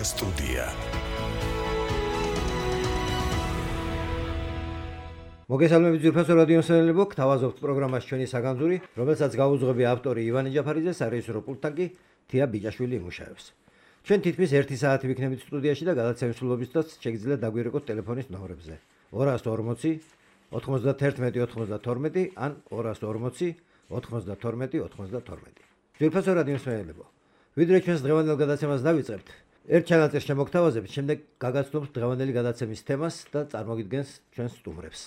სტუდია. მოგესალმებით ძვირფასო რადიო მსმენელებო, გთავაზობთ პროგრამას ჩვენი საგანძური, რომელსაც გაუძღვები ავტორი ივანე ჯაფარიძე, სარეჟისორო პულტთან კი თია ბიჭაშვილი იმუშავებს. ჩვენ თითქმის 1 საათი ვიქნებით სტუდიაში და გადაცემის სრულობისას შეგიძლიათ დაგვირეკოთ ტელეფონის ნომრებზე 240 91 92 ან 240 92 92. ძვირფასო რადიო მსმენელებო, ვიდრე ჩვენს დღევანდელ გადაცემას დავიწყებთ, ერთ ჩანაწერს შემოგთავაზებთ, შემდეგ გაგაცნობთ დღევანდელი გადაცემის თემას და წარმოგიდგენს ჩვენს სტუმრებს.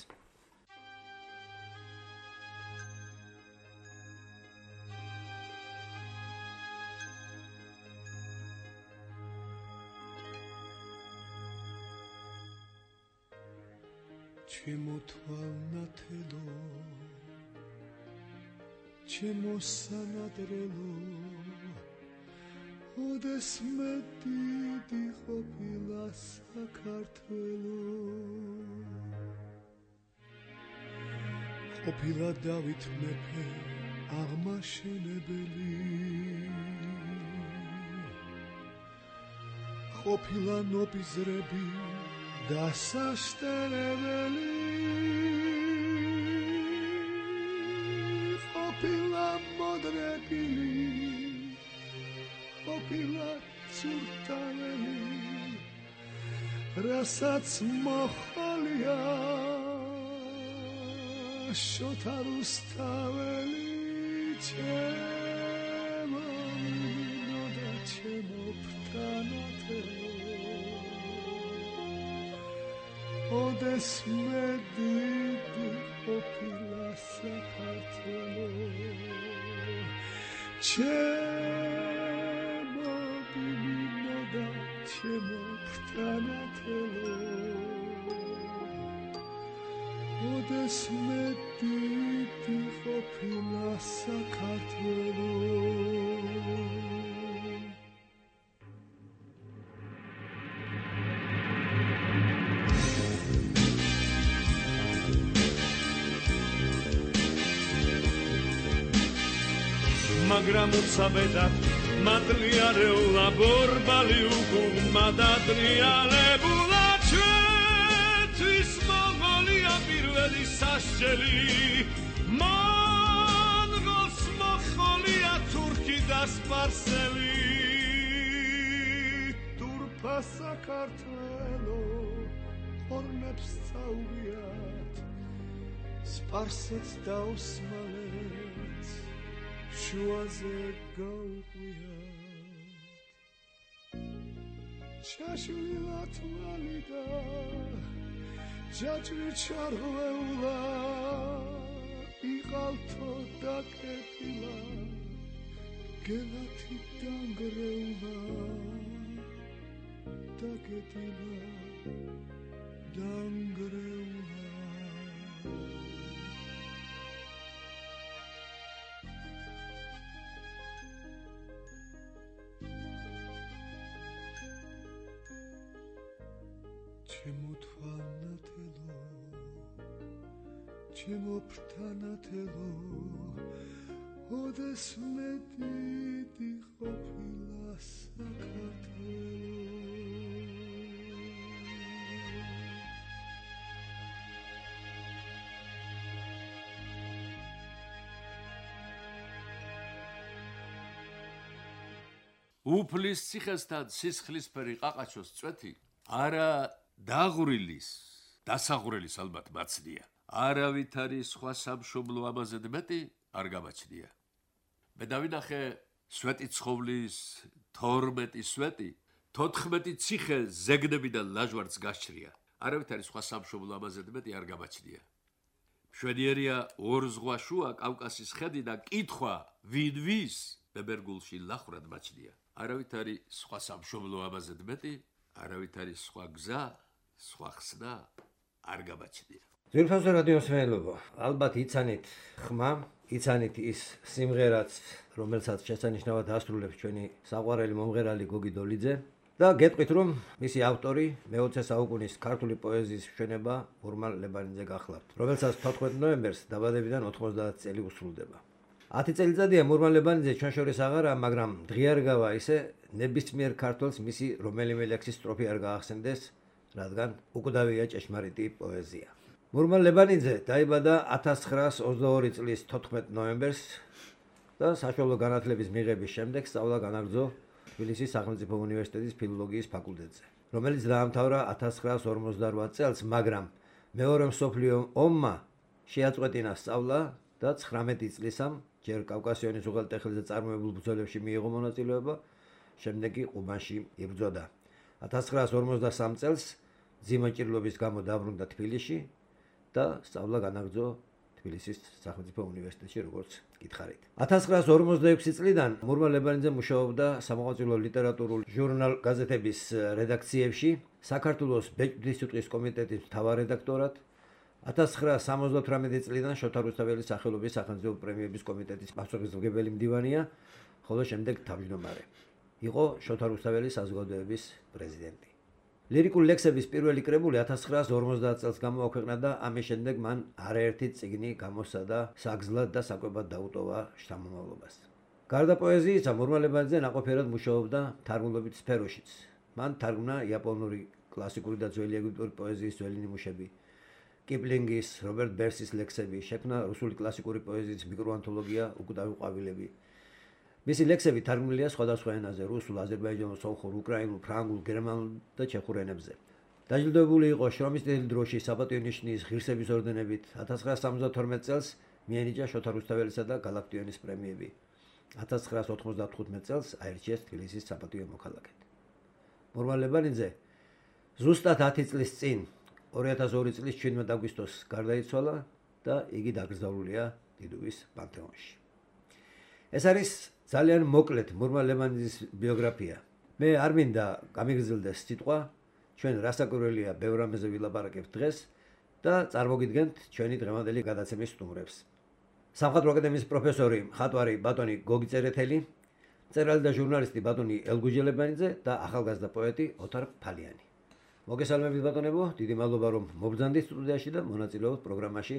ჩემო თვალნათელო, ჩემო სანადრელო, ოდეს მე დიდი ყოფილა საქართველო. ყოფილა დავით მეფე აღმაშენებელი, ყოფილა ნოპიზრები დასაშტერებელი, ყოფილა მოდრებული, ყოფილა ცურთაველი, რასაც მოხალია შოთა რუსთაველი. ჩემო მინო და ჩემო ფრთანათელო, ოდეს მე დიდი ყოფილა საქართველო. ჩემო მინო და ჩემო ფრთანათელო, ოდეს მე დიდი ყოფილა საქართველო. მაგრამ უცაბედად მადლიარეულა ბორბალი უკუღმა დადრიალებულა, ჩვენთვის მონღოლია პირველი სასჯელი, მონღოლს მოხოლია თურქი და სპარსელი. თურქა საქართველო ხორნებს წაუღიათ, სპარსეთს და ოსმალეთს შუაზე გაუყვიათ. ჩაშლილა თვალი და ჯაჭვი ჩარღვეულა, იყალთო დაკეტილა, გელათი დანგრეულა, დაკეტილა, დანგრეულა. ჩემო თვალნათელო, ჩემო ფრთანათელო, ოდეს მე დიდი ყოფილა საქართველო. უფლის ციხესთან სისხლისფერი ყაყაჩოს წვეთი არა დაღვრილის, დასაღვრილის ალბათ მაცდია. არავითარი სხვა სამშობლო ამაზე მეტი არ გამაჩნია. მე დავინახე სვეტი ცხოვლის 12 სვეტი, 14 ციხე ზეგნებიდან ლაჟვარდს გასჭრია. არავითარი სხვა სამშობლო ამაზე მეტი არ გამაჩნია. მშვენიერია ორ ზღვა შუა კავკასიის ხედიდან კითხვა ვინ ვის ბებერგულში ლახრად მაჩნია. არავითარი სხვა სამშობლო ამაზე მეტი, არავითარი სხვა გზა, სხვა ხსნა არ გამაჩნია. ძვირფასო რადიო მსმენელებო, ალბათ იცანით ხმა, იცანით ის სიმღერაც, რომელსაც შესანიშნავად ასრულებს ჩვენი საყვარელი მომღერალი გოგი დოლიძე და გეტყვით, რომ მისი ავტორი მე-20 საუკუნის ქართული პოეზიის მშვენება ურმან ლებანიძე გახლავთ, რომელსაც 14 ნოემბერს დაბადებიდან 90 წელი უსრულდება. 10 წელიწადია მურმან ლებანიძე ჩვენ შორის აღარა, მაგრამ დღიარ გავა ისე ნებისმიერ ქართველს მისი რომელიმე ლექსის სტროფი არ გაახსენდეს, რადგან უკვდავია ჭეშმარიტი პოეზია. მურმან ლებანიძე დაიბადა 1922 წლის 14 ნოემბერს და საშუალო განათლების მიღების შემდეგ სწავლა განაგრძო თბილისის სახელმწიფო უნივერსიტეტის ფილოლოგიის ფაკულტეტზე, რომელიც დაამთავრა 1958 წელს, მაგრამ მეორე მსოფლიო ომმა შეაწყვეტინა სწავლა და 19 წლისამ ჯერ კავკასიონის უღელტეხილზე წარმოებულ ბრძოლებში მიიღო მონაწილეობა, შემდეგ კი ყუბანში იბრძოდა. 1953 წელს ძიმა ჭირლობის გამო დაბრუნდა თბილისში და სწავლა განაგრძო თბილისის სახელმწიფო უნივერსიტეტში, როგორც გითხარით. 1956 წლიდან მურმან ლებანიძე მუშაობდა სამოღვაწილო ლიტერატურულ ჟურნალ გაზეთების რედაქციებში, საქართველოს ბეჭდვის სიტყვის კომიტეტის მთავარ რედაქტორად, 1978 წლიდან შოთა რუსთაველის სახელობის სახელმწიფო პრემიების კომიტეტის პასუხისმგებელი მდივანია, ხოლო შემდეგ თავმჯდომარე. იყო შოთა რუსთაველის საზოგადოების პრეზიდენტი. ლირიკულ ლექსების პირველი კრებული 1950 წელს გამოაქვეყნა და ამის შემდეგ მან არაერთი წიგნი გამოსცადა საგზლად და საკვებად დაუტოვა შთამომავლობას. გარდა პოეზიისა, მურმან ლებანიძე ნაყოფიერად მუშაობდა თარგმნობით სფეროშიც. მან თარგმნა იაპონური კლასიკური და ძველი ეგვიპტური პოეზიის ძველი ნიმუშები, კიპლინგის, რობერტ ბერსის ლექსები, შექმნა რუსული კლასიკური პოეზიის მიკროანთოლოგია „უკვდავი ყვავილები“. მისი ლექსები თარგმნილია სხვადასხვა ენაზე: რუსულ, აზერბაიჯანულ, სომხურ, უკრაინულ, ფრანგულ, გერმანულ და ჩეხურ ენებზე. დაჯილდოებული იყო შრომის წითელი დროშის, საპატიო ნიშნის, ღირსების ორდენებით. 1972 წელს მიენიჭა შოთა რუსთაველისა და გალაქტიონის პრემიები. 1995 წელს აირჩიეს თბილისის საპატიო მოქალაქედ. მურმან ლებანიძე ზუსტად 10 წლის წინ 2002 წლის 17 აგვისტოს გარდაიცვალა და იგი დაკრძალულია დიდუბის პანთეონში. ეს არის ძალიან მოკლედ მურმან ლებანიძის ბიოგრაფია. მე არ მინდა გამიგრძელდეს სიტყვა, ჩვენ რასაკვირველია ბევრ რამეზე ვილაპარაკებთ დღეს და წარმოგიდგენთ ჩვენი დღევანდელი გადაცემის სტუმრებს. სამხატვრო აკადემიის პროფესორი, მხატვარი ბატონი გოგი წერეთელი, მწერალი და ჟურნალისტი ბატონი ელგუჯე ლებანიძე და ახალგაზრდა პოეტი ოთარ ფალიანი. მოგესალმებით ბატონებო, დიდი მადლობა რომ მობრძანდით სტუდიაში და მონაწილეობთ პროგრამაში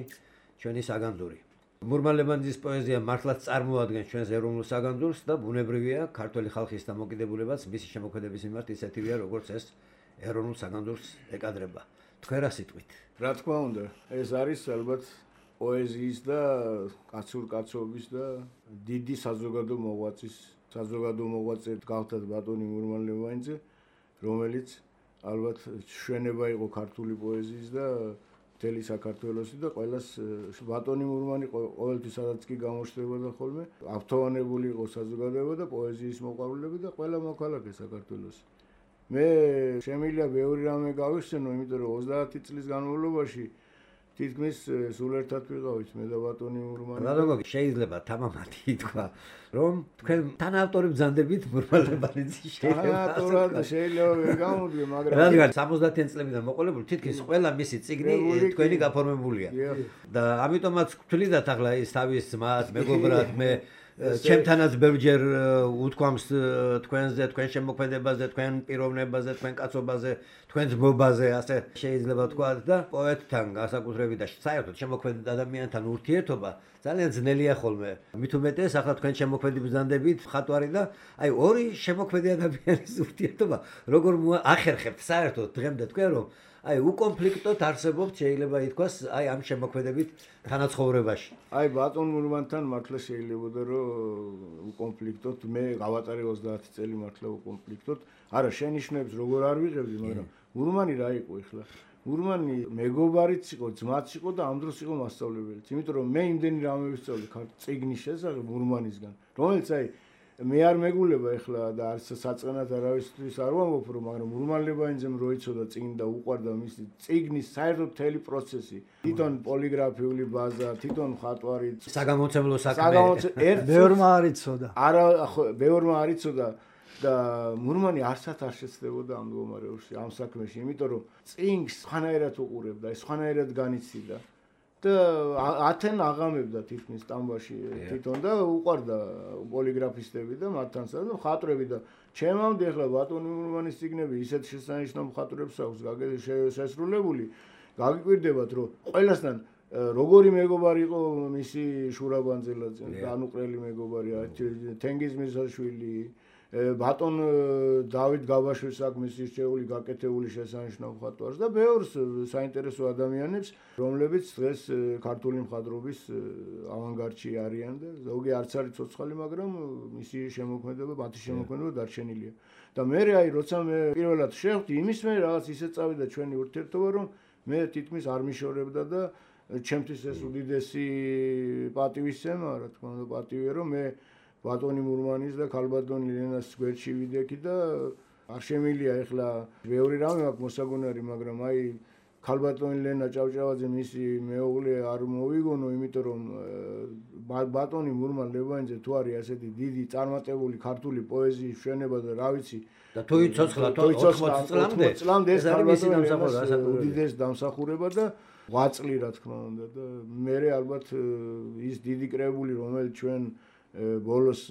ჩვენი საგანძური. მურმან ლებანიძის პოეზია მართლაც წარმოადგენს ჩვენს ეროვნულ საგანძურს და ბუნებრივია ქართველი ხალხის დამოკიდებულებაც მისი შემოქმედების მიმართ ისეთივეა, როგორც ეს ეროვნულ საგანძურს ეკადრება. თქვენ რა სიტყვით? რა თქმა უნდა, ეს არის ალბათ პოეზიის და კაცურკაცობის და დიდი საზოგადო მოღვაწე გახდა ბატონი მურმან ლებანიძე, რომელიც ალბათ შვენება იყო ქართული პოეზიის და მთელი საქართველოსი და ყველას ბატონი მურმანი ყოველთვის სადაც კი გამოჩნდებოდა ხოლმე აფთოვანებული იყო საზოგადოება და პოეზიის მოყვარულები და ყველა მოქალაქე საქართველოსი. მე შემიძლია ბევრი რამე გავიხსენო, იმიტომ რომ 30 წლის განმავლობაში თითქმის სულ ერთად ვიყავით მე და ბატონი მურმანი. რადგან შეიძლება თამამად ითქვა, რომ თქვენ თანაავტორი ბრძანდებით მურმან ლებანიძის თანაავტორად შეიძლება ვერ გამოვიდგე, მაგრამ რადგან 70-იან წლებიდან მოყოლებული თითქმის ყველა მისი წიგნი თქვენი გაფორმებულია. და ამიტომაც ვთვლიდათ ახლა ის თავის ძმას, მეგობრად, მე ჩემთანაც ბევრჯერ უთქვამს თქვენზე, თქვენ შემოქმედებაზე, თქვენ პიროვნებაზე, თქვენ კაცობაზე, თქვენ ძმობაზე, ასე შეიძლება თქვა და პოეტთან განსაკუთრებით და საერთოდ შემოქმედებით ადამიანთან ურთიერთობა ძალიან ძნელია ხოლმე. მით უმეტეს ახლა თქვენ შემოქმედი ბრძანდებით მხატვარი და აი ორი შემოქმედი ადამიანის ურთიერთობა როგორ ახერხებთ საერთოდ დღემდე თქვენ რომ აი უკონფლიქტოდ არსებობთ შეიძლება ითქვას აი ამ შემოქმედებით თანაცხოვრებაში. აი ბატონ მურმანთან მართლა შეიძლებოდა რომ უკონფლიქტოდ მე გავატარე 30 წელი მართლა უკონფლიქტოდ. არა შენიშვნებს როგორ არ ვიღებდი, მაგრამ მურმანი რა იყო ახლა? მურმანი მეგობარიც იყო, ძმაც იყო და ამ დროს იყო მასწავლებელიც. იმიტომ რომ მე იმდენი რამე ვისწავლე წიგნის შესახებ მურმანისგან, რომელიც აი მე არ მეგულება ახლა და არც საწყენად არავისთვის არ ვამბობ რომ, მაგრამ მურმან ლებანიძემ როიცოდა წიგნი და უყვარდა მისი წიგნის საერთოდ მთელი პროცესი, თვითონ პოლიგრაფიული ბაზა, თვითონ მხატვარი, საგამომცემლო საქმე. ბევრმა არ იცოდა. არა, ბევრმა არ იცოდა და მურმანი არსად არ შეცდებოდა ამ მდგომარეობაში, ამ საქმეში, იმიტომ რომ წიგნს სხვანაირად უყურებდა, სხვანაირად განიცდიდა. და ათენ აღამებდა თითქმის სტამბაში თვითონ და უყვარდა პოლიგრაფისტები და მათთან და მხატვრები და ჩემამდე ახლა ბატონი მურმანის წიგნები ისეთ შესანიშნავ მხატვრებს აქვს შესრულებული, გაგიკვირდებათ რომ ყველასთან როგორი მეგობარი იყო მისი შურა ბანძელაძე, განუყრელი მეგობარი, თენგიზ მირზაშვილი, ბატონ დავით გაბაშვილს აქვს მისი რჩეული გაკეთებული შესანიშნავ მხატვარს და ბევრს საინტერესო ადამიანებს, რომლებიც დღეს ქართული მხატვრობის ავანგარდში არიან და ზოგი არც არის ცოცხალი, მაგრამ მისი შემოქმედება, მათი შემოქმედება დარჩენილია. და მე აი როცა მე პირველად შევხვდი, იმის მე რაღაც ისე წავიდა ჩვენი ურთიერთობა, რომ მე თითქმის არ მიშორებდა და ჩემთვის ეს უდიდესი პატივისცემა, რა თქმა უნდა, პატივია, რომ მე ბატონი მურმანის და ქალბატონი ლენას გვერდში ვიდექი და არ შემილია ეხლა ბევრი რამე აქვს მოსაგონარი, მაგრამ აი ქალბატონი ლენა ჭავჭავაძე მისი მეუღლე არ მოვიგონო, იმიტომ რომ ბატონი მურმან ლევანიძე თუ არის ასეთი დიდი წარმატებული ქართული პოეზიის მშვენება და რა ვიცი და თუ იცოცხლა 80 წლამდე ეს არის მისი დამსახურება, უდიდეს დამსახურება და 8 წლი რა თქმა უნდა და მე ალბათ ის დიდი კრებული რომელიც ჩვენ ბოლოს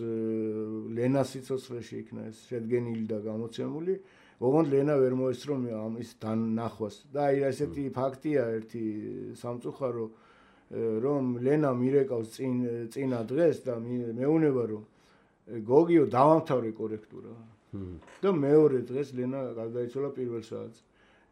ლენას სიცოცხლეში იქნა ეს შედგენილი და გამოცემული, ოღონდ ლენა ვერ მოესწრო ამის დანახვას და აი ესეთი ფაქტია ერთი სამწუხარო, რომ ლენა მირეკავს წინა დღეს და მეუნება რომ გოგიო დავამთავრე კორექტურა და მეორე დღეს ლენა გარდაიცვალა პირველ საათზე.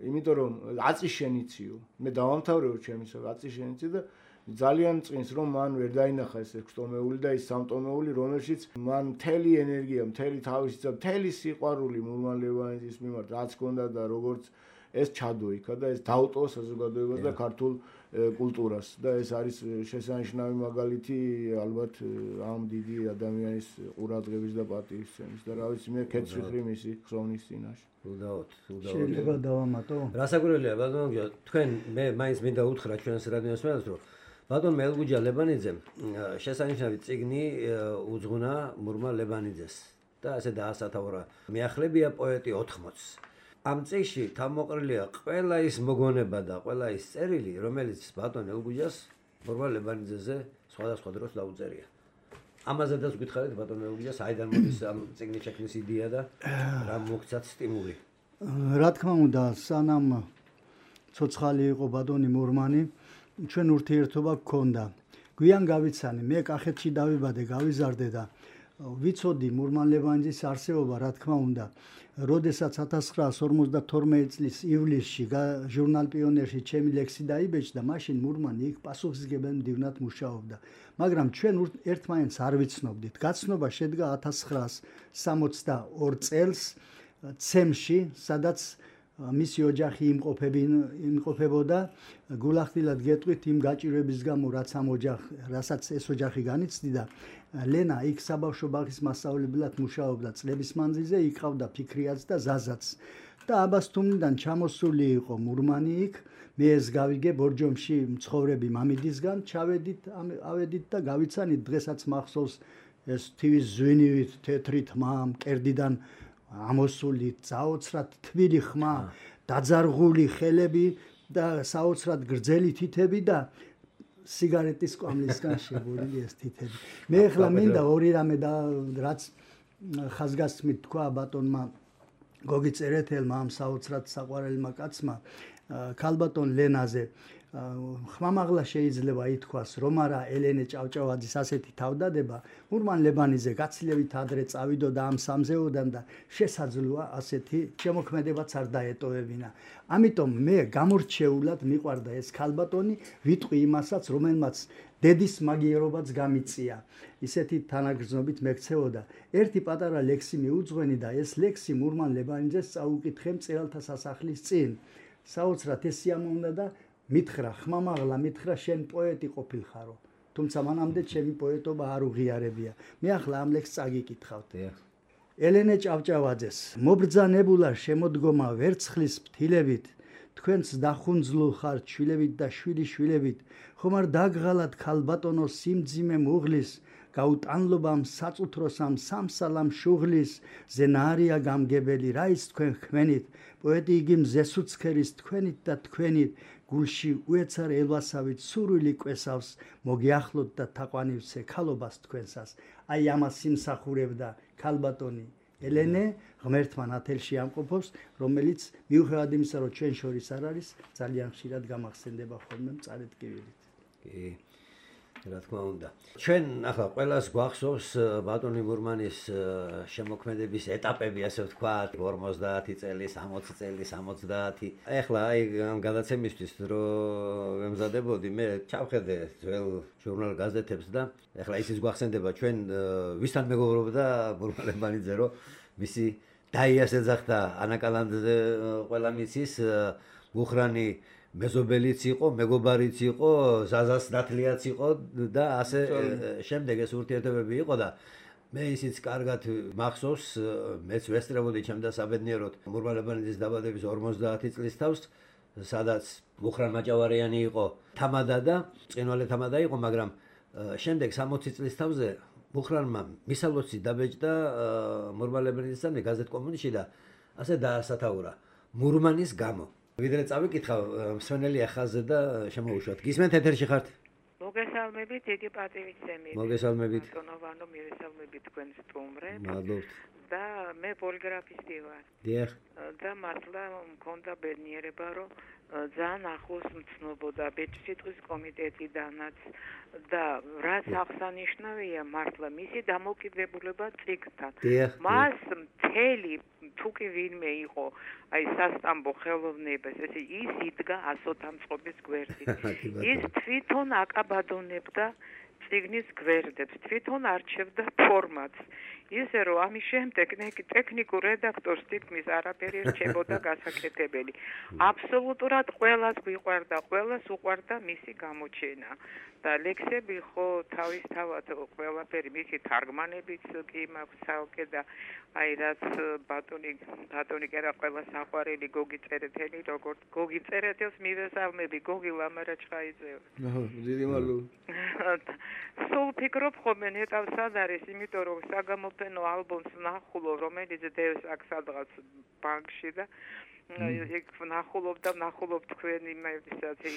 იმიტომ რომ აწი შენიციო, მე დავამთავრეო ჩემისა, აწი შენიცი და ძალიან წინს რომ მან ვერ დაინახა ეს 6 ტომეული და ის 3 ტომეული, რომელშიც მან მთელი ენერგია, მთელი თავისი და მთელი სიყვარული მურმან ლევანიძის მიმართ რაც ჰქონდა და როგორც ეს ჩადო იქა და ეს დაუტოვა საზოგადოებას და ქართულ კულტურას და ეს არის შესანიშნავი მაგალითი ალბათ ამ დიდი ადამიანის ყურადღების და პატივისცემის და რა ვიცი მე ქეთს ვიხრი მისი ხსოვნის წინაშე. შეიძლება დავამატო? რასაკვირველია ბატონო, თქვენ მე მაინც მინდა უთხრა ჩვენს რადიოს მელს, რომ ბატონ მელგუჯა ლებანიძემ შესანიშნავი წიგნი უძღვნა მურმა ლებანიძეს და ასე დაასათაურა. მეახლებია პოეტი 80-ს. ამ წიგნში თავმოყრილია ყველა ის მოგონება და ყველა ის წერილი, რომელიც ბატონ ელგუჯას მურმა ლებანიძეზე სხვადასხვა დროს დაუწერია. ამაზედაც გითხარით ბატონ ელგუჯას აიდან მოდის ამ წიგნის შექმნის იდეა და რა მოგცათ სტიმული? რა თქმა უნდა, სანამ ცოცხალი იყო ბატონი მურმანი, ჩვენ ურთიერთობა გქონდა. გვიან გავიცანი, მე კახეთში დავიბადე, გავიზარდე და ვიცოდი მურმან ლევანიძის არსებობა, რა თქმა უნდა. როდესაც 1952 წლის ივლისში ჟურნალ პიონერში ჩემი ლექსი დაიბეჭდა, მაშინ მურმანი იქ პასუხისმგებელ მდივნად მუშაობდა. მაგრამ ჩვენ ერთმანეთს არ ვიცნობდით. გაცნობა შედგა 1962 წელს ცემში, სადაც მისი ოჯახი იმყოფებოდა. გულახდილად გეტყვით იმ გაჭირვების გამო, რასაც ეს ოჯახი განიცდიდა. ლენა იქ საბავშვო ბაღის მასწავლებლად მუშაობდა წლების მანძილზე, იქ ყავდა ფიქრიაც და ზაზაც. და აბასთუმიდან ჩამოსული იყო მურმანი იქ. მე ეს გავიგე ბორჯომში მცხოვრები მამიდისგან, ავედით და გავიცანით დღესაც მახსოვს ეს თივის ზვინივით თეთრი თმა მკერდიდან ამოსული საოცრად თბილი ხმა, დაძარღული ხელები და საოცრად გრძელი თითები და სიგარეტის კვამლისგან შეგურილი ეს თითები. მე ახლა მინდა ორი რამე და რაც ხაზგასმით თქვა ბატონმა გოგი წერეთელმა ამ საოცრად საყვარელმა კაცმა ქალბატონ ლენაზე. ხმამაღლა შეიძლება ითქვას, რომ არა ელენე ჭავჭავაძის ასეთი თავდადება მურმან ლებანიძე გაცილებით ადრე წავიდო და ამ სამზეოდან და შესაძლოა ასეთი შემოქმედებაც არ დაეტოვებინა. ამიტომ მე გამორჩეულად მიყვარდა ეს ქალბატონი, ვიტყვი იმასაც, რომელმაც დედის მაგიერობაც გამიწია. ისეთი თანაგრძნობით მექცეოდა. ერთი პატარა ლექსი მიუძღვენი და ეს ლექსი მურმან ლებანიძეს წაუკითხე მწერალთა სასახლის წინ. საოცრად ეს სიამოვნა და მითხრა, ხმამაღლა მითხრა, შენ პოეტი ყოფილხარო. თუმცა მანამდე ჩემი პოეტობა არ უღიარებია. მე ახლა ამ ლექსს წაგიკითხავთ. ელენე ჭავჭავაძეს მობრძანებულა შემოდგომა ვერცხლის ფთილებით, თქვენც დახუნძლულ ხართ შვილებით და შვილიშვილებით, ხომ არ დაგღალათ ქალბატონო სიმძიმე მუღლის, გაუტანლობამ საწუთროსამ სამსალამ შუღლის, ზენარია გამგებელი რა ის თქვენ ხმენით, პოეტი იგი მზესუცქერის თქვენით და თქვენით, გულში უეცარ ელვასავით სურვილი კვესავს, მოგიახლოთ და თაყვანივცე ქალობას თქვენსას. აი ამას იმსახურებდა ქალბატონი ელენე, ღმერთმა ნათელში ამყოფობს, რომელიც მიუხედავად იმისა, რომ ჩვენ შორის არ არის, ძალიან ხშირად გამახსენდება ხოლმე მწარე ტკივილით. კი. რა თქმა უნდა. ჩვენ ახლა ყველას გვახსოვს ბატონი მურმანის შემოქმედების ეტაპები, ასე ვთქვათ, 50 წელი, 60 წელი, 70. ახლა აი ამ გადაცემისთვის რომ ემზადებოდი, მე ჩავხედე ძველ ჟურნალ გაზეთებს და ახლა ისიც გვახსენდება ჩვენ ვისთან მეგობრობდა მურმანებანიძე, რომ მისი დაიას ეძახდა ანა კალანდზე ყველა მიცის მუხრანი მეზობელიც იყო, მეგობარიც იყო, ზაზას ნათლიაც იყო და ასე შემდეგ ეს ურთიერთობები იყო და მე ისიც კარგად მახსოვს, მეც ვესწრებოდი ჩემ დასაბედნიეროდ მურმანებანიძის დაბადების 50 წლის თავს, სადაც მუხრან მაჭავარიანი იყო თამადა და წინვალე თამადა იყო, მაგრამ შემდეგ 60 წლის თავზე მუხრანმა მისალოცი დაბეჭდა მურმანებანიძესთან გაზეთ კომუნისტში და ასე დაასათაურა მურმანის გამო. ვიდრე წავიკითხავ მსვენელია ხაზზე და შემოუშვათ. გისმენთ ეთერში ხართ? მოგესალმებით, დიდი პატივისცემით. მოგესალმებით. ბატონო, მივესალმებით თქვენს სტუმრებს. მადლობთ. და მე პოლიგრაფისტი ვარ. დიახ. და მართლა მქონდა ბედნიერება, რომ ძალიან ახლოს მცნობოდა ბეჭდვის კომიტეტიდანაც და რაც აღსანიშნავია მართლა მისი დამოკიდებულება წიგნთან. მას მთელი თუ კი ვინმე იყო აი სასტამბო ხელოვნებას, ესე ის იდგა ასოთამწყობის გვერდით. ის თვითონ აკაბადონებდა წიგნის გვერდებს, თვითონ არჩევდა ფორმატს. ისე რომ ამის შემდეგ ტექნიკურ რედაქტორს თითქმის არაფერი რჩებოდა გასაკეთებელი. აბსოლუტურად ყველას გვიყვარდა, ყველას უყვარდა მისი გამოჩენა. და ლექსები ხო თავისთავად ყველაფერი მისი თარგმანებიც კი მაქვს ცალკე და აი რაც ბატონი კერა ყველა საყვარელი გოგი წერეთელი, როგორც გოგი წერეთელს მივესალმები, გოგი ლამარაჩხაიძე. დიდი მადლობა. სულ ფიქრობ ხოლმე ნეტავს სად არის, იმიტომ რომ საგამოფენო ალბომს ვნახულობ, რომელიც დევს აქ სადღაც ბანკში და იქ ვნახულობ თქვენი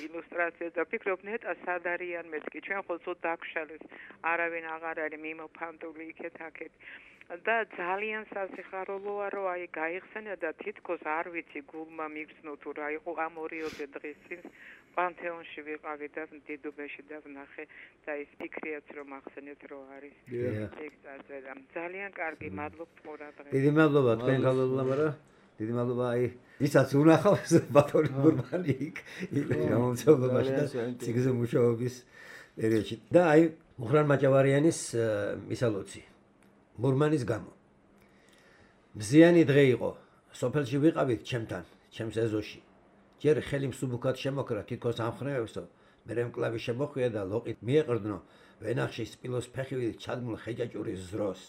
ილუსტრაციას და ვფიქრობ ნეტა სად არიან მეც კი ჩვენ ხო ცოტა დაგშალეს, არავინ აღარ არის მიმოფანტული იქეთ-აქეთ. და ძალიან სასიხარულოა რომ აი გაიხსენა და თითქოს არ ვიცი გულმა მიგრძნო თუ რა იყო ამ 2 დღის წინ პანთეონში ვიყავი და დიდუბეში და ვნახე და ის ფიქრიაც რომ ახსენეთ რომ არის ეგ წაწერა. ძალიან კარგი, მადლობთ ყურადღებას. დიდი მადლობა თქვენ გავლობამ, დიდი მადლობა აი ვისაც უნახავს ბატონი მურმანი იქ გამომცემლობაში და ციგზე მუშაობის პერიოდში. და აი მუხრან მაჭავარიანის მისალოცი მურმანის გამო. მზიანი დღე იყო. სოფელში ვიყავით ჩემთან, ჩემს ეზოში. ჯერ ხელი მსუბუქად შემოკრა თითქოს ამხნევებსო, მერე მკლავი შემოხვია და ლოყით მიეყრდნო ვენახში სპილოს ფეხივით ჩადგმულ ხეჭაჭურის ზროს.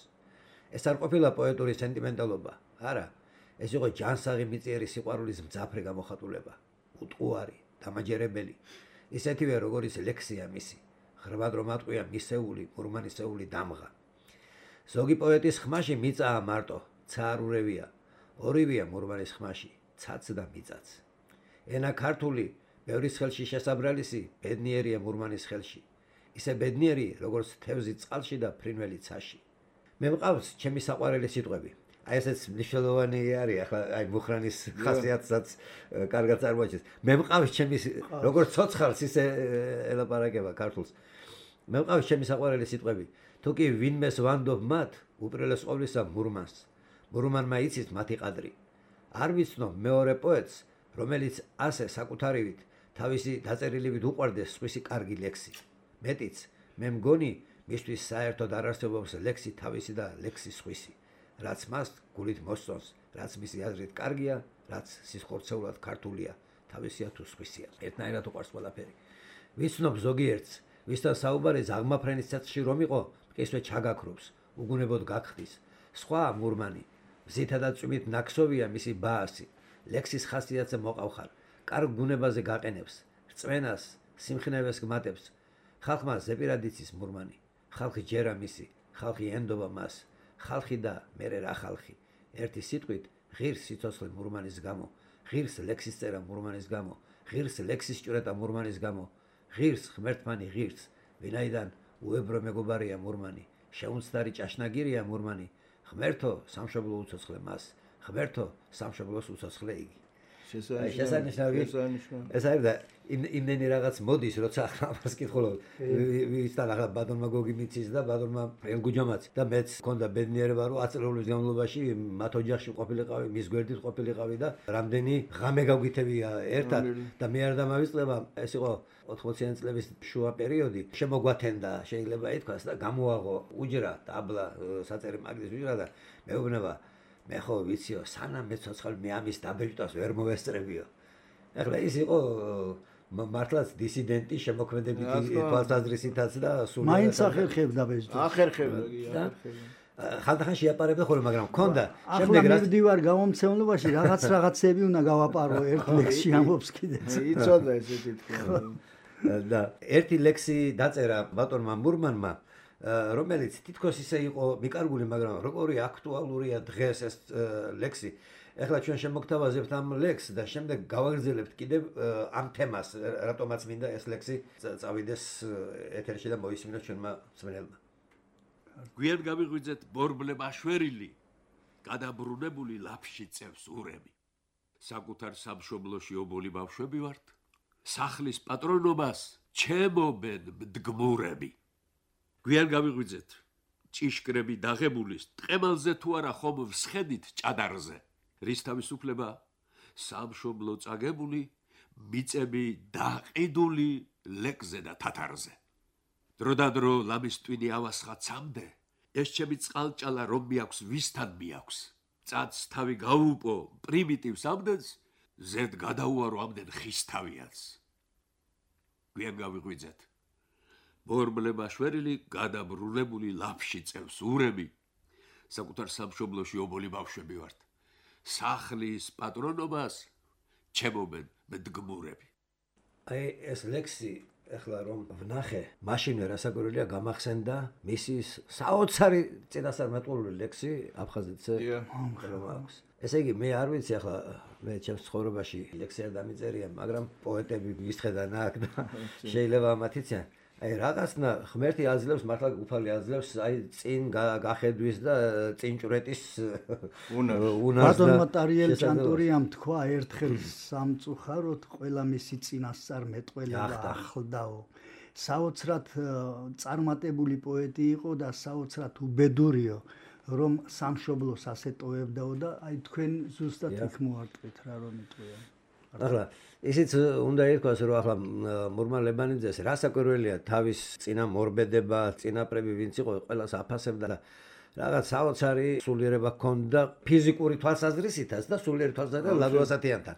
ეს არ ყოფილა პოეტური სენტიმენტალობა, არა, ეს იყო ჯანსაღი მიწიერი სიყვარულის მძაფრი გამოხატულება, უტყუარი, დამაჯერებელი, ისეთივე როგორიც ლექსია მისი, ხრბად რომ ატყვია მისეული, მურმანისეული დამღა. ზოგი პოეტის ხმაში მიწაა მარტო, ცარულევია, ორივეა მურმანის ხმაში, ცაც და მიწაც. ენა ქართული, ბევრის ხელში შესაბრალისი, ბედნიერია მურმანის ხელში. ისე ბედნიერი, როგორც თევზი წყალში და ფრინველი ცაში. მე მყავს ჩემი საყვარელი სიტყვები. აი ესეც მნიშვნელოვანი არის, ახლა აი მუხრანის ხასიათსაც კარგად წარმოაჩენს. მე მყავს ჩემი როგორც ცოცხალს ისე ელაპარაკება ქართულს. მე მყავს ჩემი საყვარელი სიტყვები. თუ კი ვინმეს ვანდობ მათ, უპირველეს ყოვლისა მურმანს. მურმანმა იცის მათი ყადრი. არ ვიცნობ მეორე პოეტს, რომელიც ასე საკუთარივით თავისი დაწერილივით უყვარდეს სხვისი კარგი ლექსი. მეტიც, მე მგონი მისთვის საერთოდ არ არსებობს ლექსი თავისი და ლექსი სხვისი, რაც მას გულით მოსწონს, რაც მისი აზრით კარგია, რაც სისხლცეულად ქართულია, თავისია თუ სხვისია. ერთნაირად უყვარს ყველაფერი. ვიცნობ ზოგიერთს, ვისთან საუბარი ზაღმაფრენის ცეცხლში რომ იყო, მყისვე ჩაგაქრობს, უგუნებოდ გაგხდის. სხვა მურმანი, მზითა და წვიმით ნაქსოვია მისი ბაასი. ლექსის ხასიათზე მოყავხარ, კარგ გუნებაზე გაყენებს, რწმენას, სიმხნევეს გმატებს. ხალხმა ზეპირად იცის მურმანი, ხალხი ჯერა მისი, ხალხი ენდობა მას, ხალხი და მერე რა ხალხი. ერთი სიტყვით ღირს სიცოცხლე მურმანის გამო, ღირს ლექსის წერა მურმანის გამო, ღირს ლექსის ჭვრეტა მურმანის გამო, ღირს ღმერთმანი ღირს, ვინაიდან უებრო მეგობარია მურმანი, შეუნცდარი ჭაშნაგირია მურმანი, ღმერთო სამშობლო უცოცხლე მას, ღმერთო სამშობლოს უცოცხლე იგი. შესანიშნავი. ეს არის და იმდენი რაღაც მოდის, როცა ამას კითხულობ. ვისთან ახლა ბატონმა გოგი მიცის და ბატონმა ელგუჯამაც და მეც მქონდა ბედნიერება, რომ 10 წლების განმავლობაში მათ ოჯახში ყოფილიყავი, მის გვერდით ყოფილიყავი და რამდენი ღამე გავგითებია ერთად და მე არ დამავიწყდება, ეს იყო 80-იან წლების შუა პერიოდი. შემოგვათენდა, შეიძლება ითქვას და გამოაღო უჯრა დაბლა საწერი მაგდის უჯრა და მეუბნება მე ხო ვიციო, სანამ მე ცოცხალი მე ამის დაბეჭდას ვერ მოვესწრებიო. ახლა ის იყო მართლაც დისიდენტი შემოქმედებითი თვალსაზრისითაც და სულ მაინც ახერხებდა ბეჭდას. ახერხებდა. ხანდახან შეაპარებდა ხოლმე, მაგრამ მქონდა შემდეგ რა მივდივარ გამომცემლობაში რაღაცები უნდა გავაპარო ერთ ლექსში ამობს კიდეც. იცოდა ესეთი თქმა. და ერთი ლექსი დაწერა ბატონმა მურმანმა, რომელიც თითქოს ისე იყო მიკარგული, მაგრამ როგორი აქტუალურია დღეს ეს ლექსი. ეხლა ჩვენ შემოგთავაზებთ ამ ლექსს და შემდეგ გავაგრძელებთ კიდევ ამ თემას, რატომაც მინდა ეს ლექსი წავიდეს ეთერში და მოისმინოს ჩვენმა მსმენელმა. გვიან გავიღვიძეთ ბორბლე მაშვერილი, გადაბრუნებული ლაფში წევს ურემი. საკუთარ სამშობლოში ობოლი ბავშვები ვართ, სახლის პატრონობას ჩემობენ მდგმურები. გვიან გავიღვიძეთ ჭიშკრები დაღებულის, ტყემალზე თუ არა ხომ ვსხედით ჭადარზე. რის თავისუფლება სამშობლო წაგებული, მიწები დაყიდული ლეკზე და თათარზე. დროდადრო ლამის ტვინი ავასხა ცამდე, ეს ჩემი წყალჭალა რომ მიაქვს, ვისთან მიაქვს. წაც თავი გაუპო პრიმიტივს ამდენს, ზედ გადაუარო ამდენ ხის თავიანს. გვიან გავიღვიძეთ ბორბლე მაშვერილი, გადაბრუნებული ლაფში წევს ურემი. საკუთარ სამშობლოში ობოლი ბავშვები ვართ, სახლის პატრონობას ჩემობენ მდგმურები. აი ეს ლექსი ეხლა რომ ვნახე, მაშინვე რასაკვირველია გამახსენდა მისი საოცარი წინასწარმეტყველური ლექსი აფხაზეთზე რომ აქვს. ესე იგი მე არ ვიცი ახლა მე ჩემს ცხოვრებაში ლექსი არ დამიწერია, მაგრამ პოეტები მისხედან აქ და შეიძლება მათ იციან. აი რაღაცნა ღმერთი აძლევს, მართლა უფალი აძლევს, აი წინ გახედვის და წინჭვრეტის უნარს. ბატონმა ტარიელ ჭანტურიამ თქვა ერთხელ სამწუხაროდ ყველა მისი წინასწარმეტყველება ახლდაო. საოცრად წარმატებული პოეტი იყო და საოცრად უბედურიო, რომ სამშობლოს ასე ტოვებდაო და აი თქვენ ზუსტად იქ მოარტყით რა რომ იტყვია. ახლა ისიც უნდა ითქვას, რომ ახლა მურმან ლებანიძეს რასაკვირველია თავის წინა მორბედება, წინაპრები ვინც იყო, ყველას აფასებდა და რაღაც საოცარი სულიერება ჰქონდა ფიზიკური თვალსაზრისითაც და სულიერი თვალსაზრისით ლადო ასათიანთან.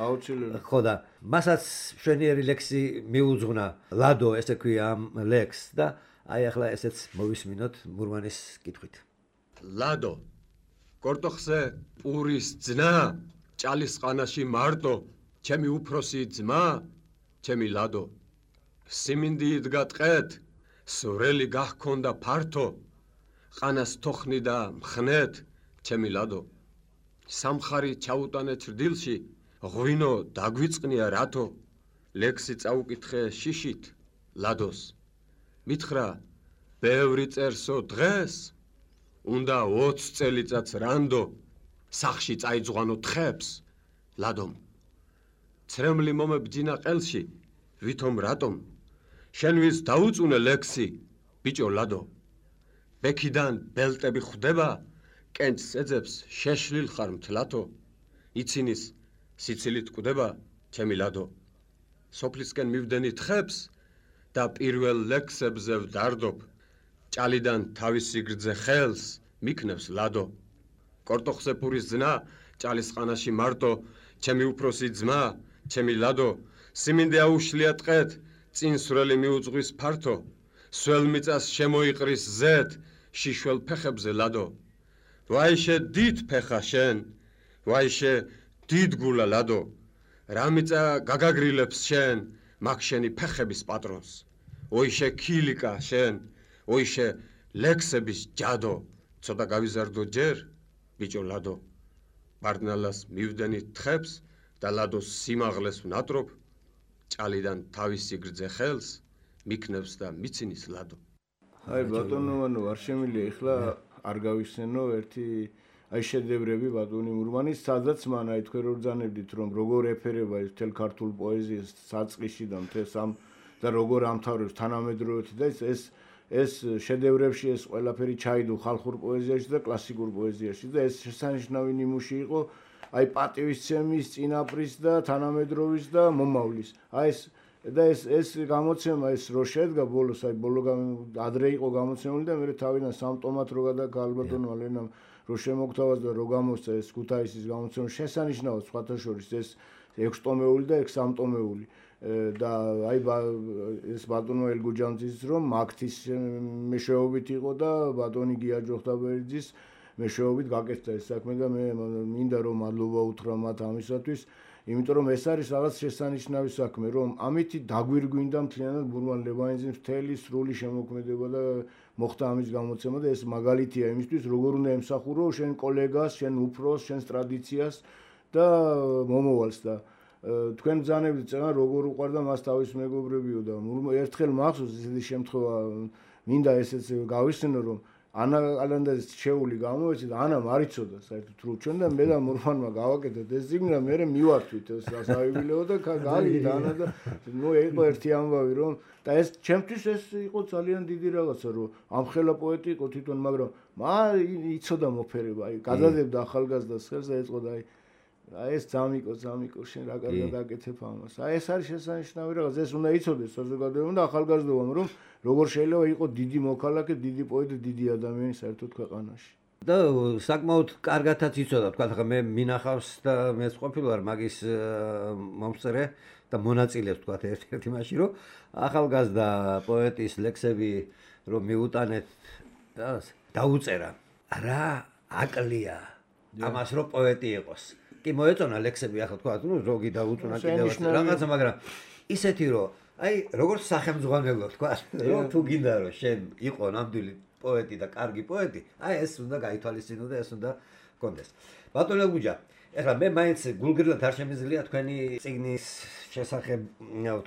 აუცილებლად. ხო და მასაც მშვენიერი ლექსი მიუძღვნა ლადო, ესე ქვია ამ ლექსს და აი ახლა ესეც მოვისმინოთ მურმანის კითხვით. ლადო, კორტოხზე პურის ძნა, ჭალისყანაში მარტო, ჩემი უფროსი ძმა, ჩემი ლადო. სიმინდი იდგა ტყეთ, სურელი გახქონდა ფართო, ყანას თოხნი და მხნეთ, ჩემი ლადო. სამხარი ჩაუტანე ჭრდილში, ღვინო დაგვიწყნია რათო, ლექსი წაუკითხე შიშით, ლადოს. მითხრა, ბევრი წერსო დღეს, უნდა 20 წელიწადს რანდო, სახში წაიძღვანო თხებს, ლადომ. ცრემლი მომებჯინა ყელში, ვითომ რატომ, შენვის დაუწუნე ლექსი, ბიჭო ლადო. ბექიდან ბელტები ხვდება, კენჭს ეძებს შეშლილ ხარ მთლათო, იცინის სიცილით კვდება, ჩემი ლადო. სოფლისკენ მივდენი თხებს და პირველ ლექსებზე ვდარდობ, ჭალიდან თავისი გრძე ხელს მიქნევს ლადო. კორტოხზე პურის ძნა, ჭალისყანაში მარტო, ჩემი უფროსი ძმა, ჩემი ლადო. სიმინდი აუშლია ტყეთ, წინ სურელი მიუძღვის ფართო, სველ მიწას შემოიყრის ზეთ, შიშველ ფეხებზე ლადო. ვაიშე დიდ ფეხა შენ, ვაიშე დიდ გულა ლადო. რა მიწა გაგაგრილებს შენ, მაგ შენი ფეხების პატრონს. ოიშე ქილიკა შენ, ოიშე ლექსების ჯადო, ცოტა გავიზარდო ჯერ, ბიჭო ლადო. ბარდნალას მივდენი თხებს და ლადოს სიმაღლეს ვნატრობ, ჭალიდან თავისი გრძე ხელს მიქნევს და მიცინის ლადო. აი ბატონო, არ შემიძლია ეხლა არ გავიხსენო ერთი აი შედევრები ბატონი მურმანის, სადაც მან აი თქვენ რო ბრძანებდით რომ როგორ ეფერება ეს მთელ ქართულ პოეზიას საწყისში და მთელს ამ და როგორ ამთავრებს თანამედროვეობით და ეს შედევრებში ეს ყველაფერი ჩაიდო ხალხურ პოეზიაში და კლასიკურ პოეზიაში და ეს შესანიშნავი ნიმუში იყო აი პატივისცემის, წინაპრის და თანამედროვეობის და მომავლის. აი ეს გამოცემა ეს რო შედგა ბოლოს, აი ბოლო ადრე იყო გამოცემული და მე თავიდან სამტომად რო გადაგა ალბათონო ალენამ რო შემოგთავაზ და რო გამოსცა ეს ქუთაისის გამოცემა შესანიშნავად სხვათა შორის ეს 6 ტომეული და 6 ტომეული და აი ეს ბატონო ელგუჯანძის რომ მაგთის მეშვეობით იყო და ბატონი გია ჯოხტაბერიძის მეშვეობით გაკეთდა ეს საქმე და მე მინდა რომ მადლობა უთხრა მათ ამისათვის, იმიტომ რომ ეს არის რაღაც შესანიშნავი საქმე, რომ ამით დაგვირგვინდა მთლიანად ბურმან ლევანიძის მთელი სრული შემოქმედება და მოხდა ამის გამოცემა და ეს მაგალითია იმისთვის, როგორ უნდა ემსახურო შენ კოლეგას, შენ უფროს, შენს ტრადიციას და მომავალს და თქვენ ბრძანებთ წენა როგორ უყარდა მას თავის მეგობრებიო და ერთხელ მახსოვს ესეთი შემთხვევა მინდა ესეც გავიხსენო რომ ანა ალანდაძის შეეული გამოეცი და ანა მარიცოდა საერთოდ რო ჩვენ და მე და მურმანმა გავაკეთეთ ეს ზიგნა მე მივართვით ეს სასაიუბილეო და გავიგეთ ანა და ნუ იყო ერთი ამბავი რომ და ეს ჩემთვის ეს იყო ძალიან დიდი რაღაცა რომ ამხელა პოეტი იყო თვითონ მაგრამ იცოდა მოფერება აი გადადებდა ახალგაზრდას ხელს და ეწყოდა აი ეს ძამიკო შენ რა კარგად აკეთებ ამას. აი ეს არის შესანიშნავი რაღაც, ეს უნდა იცოდეს საზოგადოებამ და ახალგაზრდობამ, რომ როგორ შეიძლება იყო დიდი მოქალაქე, დიდი პოეტი, დიდი ადამიანი საერთოდ ქვეყანაში. და საკმაოდ კარგათაც იცოდა, თქვა ხა მე მინახავს და მეც ყოფილი ვარ მაგის მომსწრე და მონაწილეებს თქვა ერთ-ერთი მაშინ რომ ახალგაზრდა პოეტის ლექსები რომ მიუტანეთ დაუწერა. რა აკლია ამას რომ პოეტი იყოს. კი მოეწონა ლექსები ახლა თქვა ნუ ზოგი დაუწუნა კიდევ რაღაცა მაგრამ ისეთი რომ აი როგორც სახელმძღვანელო თქვა რომ თუ გინდა რომ შენ იყო ნამდვილი პოეტი და კარგი პოეტი აი ეს უნდა გაითვალისწინო და ეს უნდა გქონდეს ბატონო გუჯა ეხლა მე მაინც გულგრილად არ შემიძლია თქვენი წიგნის შესახებ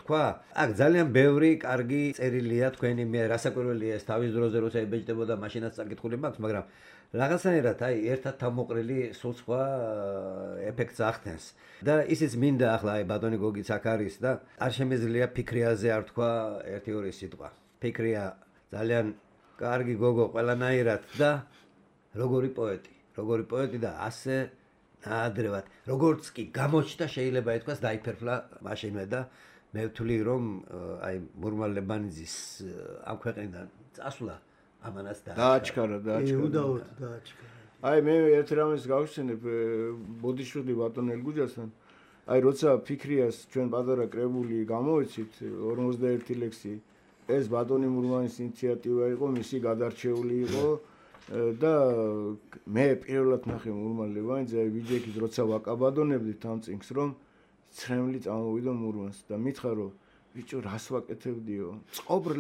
თქვა აქ ძალიან ბევრი კარგი წერილია თქვენი მე რასაკვირველია ეს თავის დროზე როცა ებეჭდებოდა მაშინაც წაკითხული მაქვს მაგრამ რაღაცნაირად აი ერთად თავმოყრილი სულ სხვა ეფექტს ახდენს და ისიც მინდა ახლა აი ბატონი გოგიც აქ არის და არ შემიძლია ფიქრიაზე არ თქვა 1-2 სიტყვა ფიქრია ძალიან კარგი გოგო ყველანაირად და როგორი პოეტი და ასე ნაადრევად როგორც კი გამოჩნდა შეიძლება ითქვას დაიფერფლა მაშინვე და მე ვთვლი რომ აი მურმან ლევანიძის ამ ქვეყნიდან წასვლა ამანაც დააჩქარა. აი მე ერთ რამეს გავხსენებ ბოდიშვილი ბატონ ელგუჯასთან. აი როცა ფიქრიას ჩვენ პატარა კრებული გამოეცით 51 ლექსი ეს ბატონი მურმანის ინიციატივა იყო, მისი გადარჩეული იყო და მე პირველად ნახე მურმან ლევანიძე აი ვიჯექით როცა ვაკაბადონებდით ამ წიგნს რომ ცრემლი წამოვიდა მურმანს და მითხრა რომ ბიჭო რას ვაკეთებდიო? წყობრ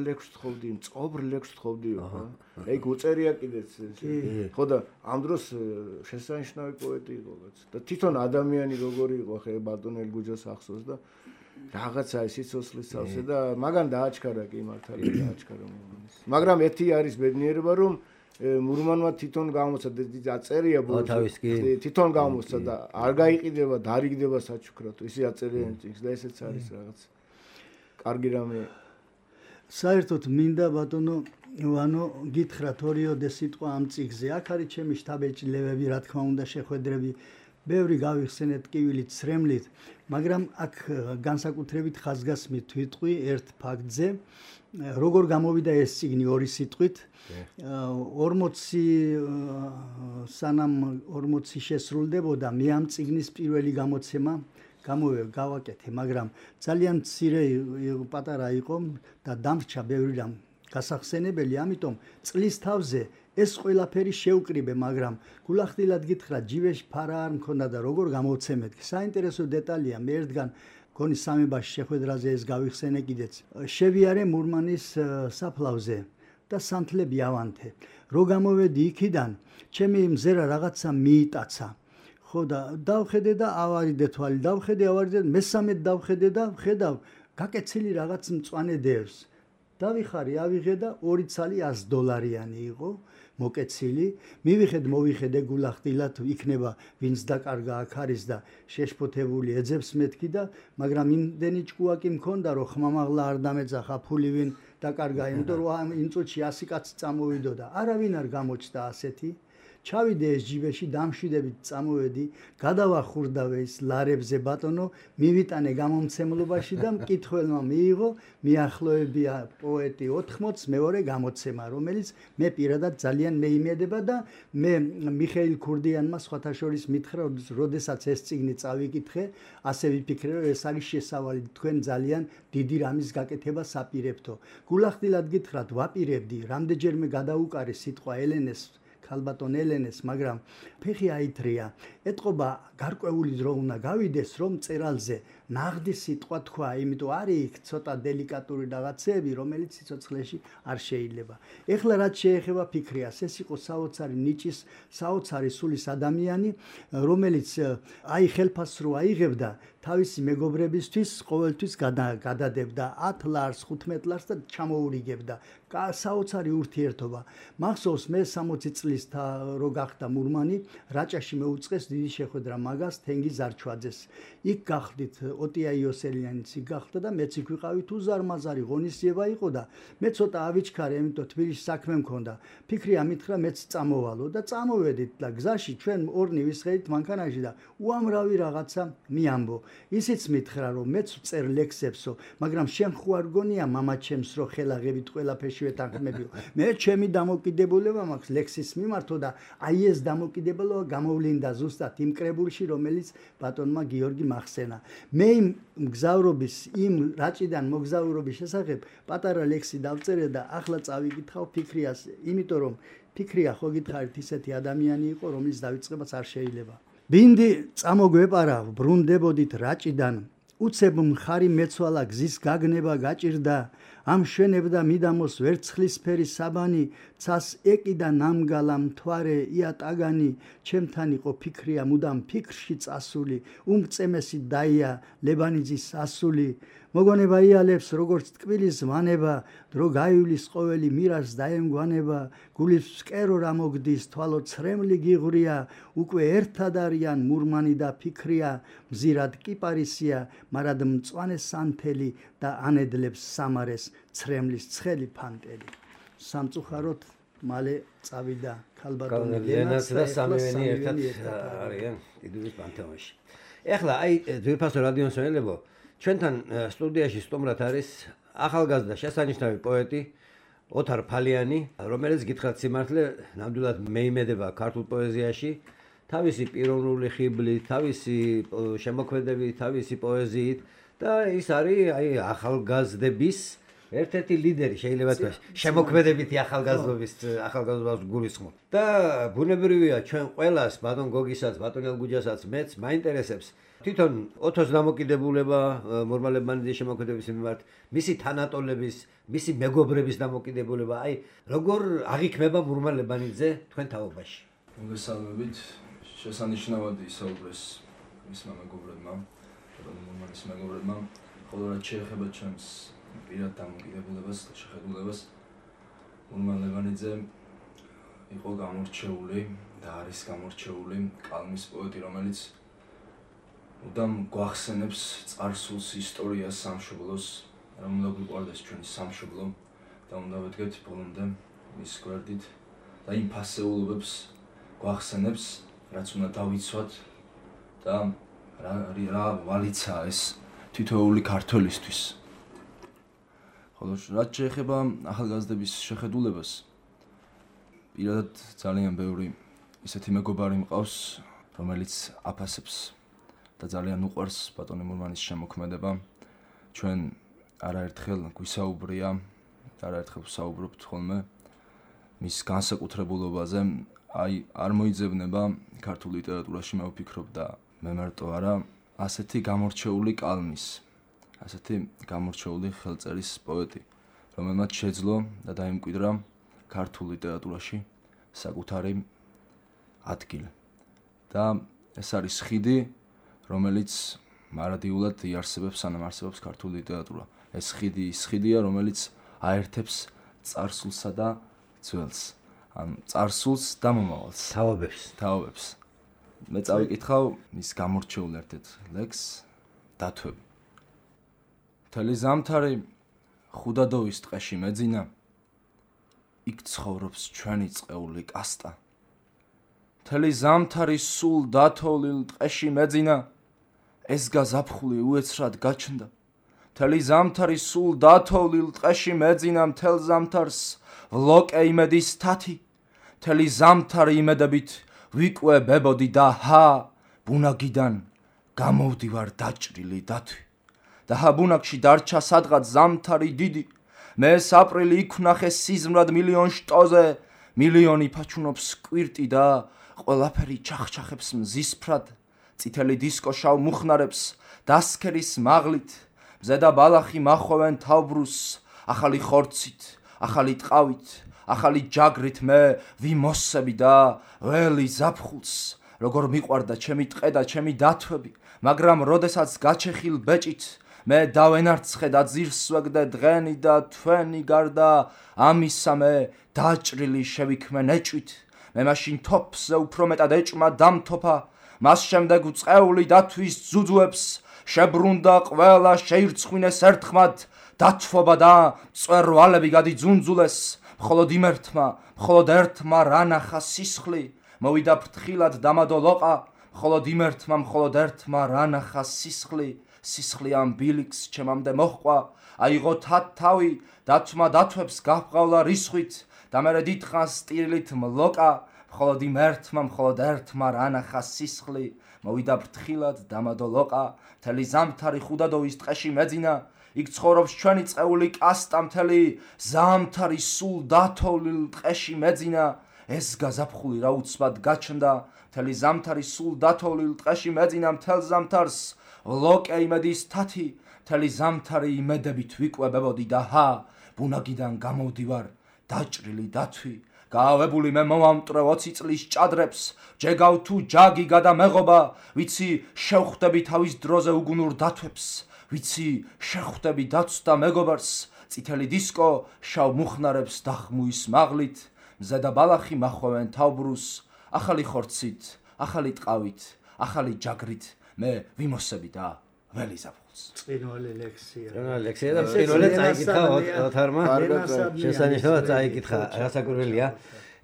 ლექსს თხოვდიო, ხო? ეგ უწერია კიდეც. ხო და ამ დროს შესანიშნავი პოეტი იყო კაც. და თვითონ ადამიანი როგორი იყო ხე ბატონ ელგუჯას ახსოვს და რაღაცა სიცოცხლის სავსე და მაგან დააჩქარა კი მართალია დააჩქარა მურმანის. მაგრამ ერთი არის ბედნიერება რომ მურმანმა თვითონ გამოცა დაწერია ბოლოს თვითონ გამოცა და არ გაიყიდება და არ იგდება საჩუქრად. ისე აწერია წიგნს და ესეც არის რაღაც კარგი რამე. საერთოდ მინდა ბატონო ივანო გითხრათ ორიოდე სიტყვა ამ წიგნზე. აქ არის ჩემი შთაბეჭდილებები, რა თქმა უნდა, შეხვედრები, ბევრი გავიხსენეთ კივილით, ცრემლით, მაგრამ აქ განსაკუთრებით ხაზგასმით ვიტყვი ერთ ფაქტზე, როგორ გამოვიდა ეს წიგნი ორი სიტყვით. 40 სანამ 40 შესრულდებოდა, მე ამ წიგნის პირველი გამოცემა გავაკეთე, მაგრამ ძალიან მცირე პატარა იყო და დამრჩა ბევრი რამ გასახსენებელი, ამიტომ წლის თავზე ეს ყველაფერი შევკრიბე, მაგრამ გულახდილად გითხრა, ჯივეში ფარა არ მქონდა და როგორ გამოვცემეთ. საინტერესო დეტალია, მე ერთგან გონი სამებაში შეხვედრაზე ეს გავიხსენე კიდეც. შევიარე მურმანის საფლავზე და სანთლები ავანთე. რო გამოვედი იქიდან, ჩემი მზერა რაღაცა მიიტაცა. ხო და დავხედე და ავარიდე თვალი, ავარიდე, მესამედ დავხედე და ვხედავ, გაკეცილი რაღაც მწვანე დევს. დავიხარი, ავიღე და 2 ცალი $100 იყო. მოკეცილი. მივიხედ გულახდილად იქნება ვინც დაკარგა აქ არის და შეშფოთებული ეძებს მეთქი და მაგრამ იმდენი ჭკუაკი მქონდა რომ ხმამაღლა არ დამეძახა ფული ვინ დაკარგა იმიტომ რომ იმ წუთში 100 კაცი წამოვიდოდა. არავინ არ გამოჩნდა ასეთი. ჩავიდე ეს ჯიბეში დამშვიდებით წამოვედი, გადავახურდავე ის ლარებზე ბატონო, მივიტანე გამომცემლობაში და მკითხველმა მიიღო, მიახლოებია პოეტი 80, მეორე გამოცემა, რომელიც მე პირადად ძალიან მეიმედება და მე მიხეილ ქურდიანმა სხვათა შორის მითხრა, როდესაც ეს წიგნი წავიკითხე, ასე ვიფიქრე, რომ ეს არის შესავალი თქვენ ძალიან დიდი რამის გაკეთებას აპირებთო. გულახდილად გითხრათ, ვაპირებდი, რამდენჯერმე გადაუკარე სიტყვა ელენეს ქალბატონ ელენეს, მაგრამ ფეხი აითრია. ეტყობა გარკვეული დრო უნდა გავიდეს, რომ წერალზე ნაღდი სიტყვა თქვა, იმიტომ არის იქ ცოტა დელიკატური რაღაცეები, რომელიც სიცოცხლეში არ შეიძლება. ეხლა რაც შეეხება ფიქრიას, ეს იყო საოცარი ნიჭის, საოცარი სულის ადამიანი, რომელიც აი ხელფასს რო აიღებდა, თავისი მეგობრებისთვის ყოველთვის გადადებდა 10 ლარს, 15 ლარს და ჩამოურიგებდა. საოცარი ურთიერთობა. მახსოვს მე 60 წლის რო გახდა მურმანი, რაჭაში მეუწყეს დიდი შეხვედრა მაგას თენგი ზარჩვაძეს. იქ გახდით ოტია იოსელიანიც იქ გახდა და მეც იქ ვიყავი თუ ზარმაზარი ღონისძიება იყო და მე ცოტა ავიჩქარე, იმიტომ თბილისში საქმე მქონდა. ფიქრია მითხრა მეც წამოვალო და წამოვედით და გზაში ჩვენ ორნი ვისხედით მანქანაში და უამრავი რაღაცა მიამბო. ისიც მითხრა რომ მეც წერ ლექსებსო, მაგრამ შენ ხო არ გონია მამა ჩემს რო ხელაღებით ყველაფერში ვეთანხმებიო. მე ჩემი დამოკიდებულება მაქვს ლექსის მიმართო და აი ეს დამოკიდებულება გამოვლინდა ზუსტად იმ კრებულში, რომელიც ბატონმა გიორგი მახსენა. მე იმ მგზავრობის, იმ რაჭიდან მოგზაურობის შესახებ პატარა ლექსი დავწერე და ახლა წავიკითხავ ფიქრიას, იმიტომ რომ ფიქრია ხო გითხარით ისეთი ადამიანი იყო, რომლის დავიწყებაც არ შეიძლება. ბინდი წამოგვეპარა, ბრუნდებოდით რაჭიდან, უცებ მხარი მეცვალა გზის გაგნება გაჭირდა, ამშვენებდა მიდამოს ვერცხლისფერი საბანი, ცას ეკიდა ნამგალა მთვარე იატაგანი, ჩემთან იყო ფიქრია მუდამ ფიქრში წასული, უმწემესი დაია ლებანიძის ასული, მოგონება იალებს როგორც ტკბილის ვანება, დრო გაივლის ყოველი მირას დაემგვანება, გულის სკერო რა მოგდის, თვალო ცრემლი გიღვრია, უკვე ერთად არიან მურმანი და ფიქრია, მზირად კიპარისია, მარად მწვანე სანთელი და ანედლებს სამარეს ცრემლის ცხელი ფანტელი. სამწუხაროდ მალე წავიდა ქალბატონი ლენაც და სამივენი ერთად არიან დიდუბის პანთეონში. ეხლა აი ძვირფასო რადიო მსმენელებო, ჩვენთან სტუდიაში სტუმრად არის ახალგაზრდა შესანიშნავი პოეტი ოთარ ფალიანი, რომელიც გითხრათ სიმართლე ნამდვილად მეიმედება ქართულ პოეზიაში, თავისი პიროვნული ხიბლით, თავისი შემოქმედებით, თავისი პოეზიით და ის არის აი ახალგაზრდების ერთ-ერთი ლიდერი, შეიძლება თქვა, შემოქმედებითი ახალგაზრდობის გულისხმობ. და ბუნებრივია ჩვენ ყველას, ბატონ გოგისაც, ბატონ ელგუჯასაც, მეც მაინტერესებს თვითონ ოთოს დამოკიდებულება მურმალებანიძის შემოქმედების მიმართ, მისი თანატოლების, მისი მეგობრების დამოკიდებულება, აი როგორ აღიქმება მურმალებანიძე თქვენ თაობაში? მოგესალმებით, შესანიშნავად ისაუბრეს მისმა მეგობრებმა, მურმანის მეგობრებმა, ხოლო რაც შეეხება ჩვენს პირად დამოკიდებულებას და შეხედულებას, მურმალებანიძე იყო გამორჩეული და არის გამორჩეული კალმის პოეტი, რომელიც უდამ გვახსენებს წარსულს, ისტორიას, სამშობლოს, რომ უნდა გვიყვარდეს ჩვენი სამშობლო და უნდა ვედგეთ ბოლომდე მის გვერდით და იმ ფასეულობებს გვახსენებს, რაც უნდა დავიცვათ და რა ვალიცაა ეს თითოეული ქართველისთვის. ხოლო რაც შეეხება ახალგაზრდების შეხედულებას, პირადად ძალიან ბევრი ისეთი მეგობარი მყავს, რომელიც აფასებს და ძალიან უყვარს ბატონი მურმანის შემოქმედება. ჩვენ არაერთხელ გვისაუბრია და არაერთხელ ვსაუბრობთ ხოლმე მის განსაკუთრებულობაზე. აი არ მოიძებნება ქართულ ლიტერატურაში, მე ვფიქრობ და მე მარტო არა, ასეთი გამორჩეული კალმის, ასეთი გამორჩეული ხელწერის პოეტი, რომელმაც შეძლო და დაიმკვიდრა ქართულ ლიტერატურაში საკუთარი ადგილი. და ეს არის ხიდი, რომელიც მარადიულად იარსებებს, სანამ არსებობს ქართული ლიტერატურა. ეს ხიდი ის ხიდია, რომელიც აერთებს წარსულსა და ძველს. ან წარსულს და მომავალს. თავობებს. მე წავიკითხავ მის გამორჩეულ ერთ-ერთ ლექსს დათვები. მთელი ზამთარი ხუდადოვის ტყეში მეძინა, იქ ცხოვრობს ჩვენი წეული კასტა. მთელი ზამთარი სულ დათოვლილ ტყეში მეძინა, ეს გაზაფხული უეცრად გაჩნდა. მთელი ზამთარი სულ დათოვლილ ტყეში მეძინა, მთელ ზამთარს ვლოკე იმედის თათი. მთელი ზამთარი იმედებით ვიკვებებოდი და ბუნაგიდან გამოვდივარ დაჭრილი დათვი. და ბუნაგში დარჩა სადღაც ზამთარი დიდი. მე აპრილი იქ ვნახე სიზმრად მილიონ შტოზე, მილიონი ფაჩუნობს კვირტი და ყველაფერი ჩახჩახებს მზისფრად. წითელი დისკო შავ მუხნარებს დასქერის მაღლით, მზე და ბალახი მახვევენ თავბრუსს, ახალი ხორცით, ახალი ტყავით, ახალი ჯაგრით მე ვიმოსები და ველი ზაფხულს, როგორ მიყვარდა ჩემი ტყე და ჩემი დათვები, მაგრამ როდესაც გაჩეხილ ბეჭით მე დავენარცხე და ძირს ვეგდე დღენი და თვენი გარდა ამისა მე დაჭრილი შევიქმე ნეჭვით. მე მაშინ თოფზე უფრო მეტად ეჭმა დამთოფა, მას შემდეგ უწყეული დათვის ძუძუებს შებრუნდა ყველა შეირცხვინეს ერთხმად დათვობა და მწვერვალები გადიძუნძულეს. მხოლოდ იმერთმა, მხოლოდ ერთმა რანახა სისხლი, მოვიდა ფრთხილად დამადო ლოყა. მხოლოდ იმერთმა, მხოლოდ ერთმა რანახა სისხლი, სისხლი ამ ბილიქს ჩემამდე მოჰყვა. აიღო თავი, დათვმა დათვებს გაჰყავლა რისხვით და მერე დიდხანს სტილით მლოკა. მხოლოდ იმერთმა, მხოლოდ ერთმა რანახა სისხლი, მოვიდა ფრთხილად დამადო ლოყა. მთელი ზამთარი ხუდადოვის ტყეში მეძინა, იქ ცხოვრობს ჩვენი წეული კასტა. მთელი ზამთარი სულ დათოვლილ ტყეში მეძინა, ეს გაზაფხული რა უცბად გაჩნდა. მთელი ზამთარი სულ დათოვლილ ტყეში მეძინა, მთელ ზამთარს ვლოკე იმედის თათი. მთელი ზამთარი იმედებით ვიკვებებოდი და ბუნაგიდან გამოვდივარ დაჭრილი დათვი. გაავებული მე მომამტვრე 20 წლის ჭადრებს, ჯეგავ თუ ჯაგი გადამეღობა, ვიცი შევხვდები თავის დროზე უგუნურ დათვებს, ვიცი შეხვდები დათვს და მეგობარს, წითელი დისკო შავ მუხნარებს დახმუის მაღლით, მზე და ბალახი მახვევენ თავბრუსს, ახალი ხორცით, ახალი ტყავით, ახალი ჯაგრით მე ვიმოსები და ველი ზაფხულს. წინვალი ლექსია. და წინვალი წაიკითხა ოთარმა. შესანიშნავად წაიკითხა, რასაკურველია.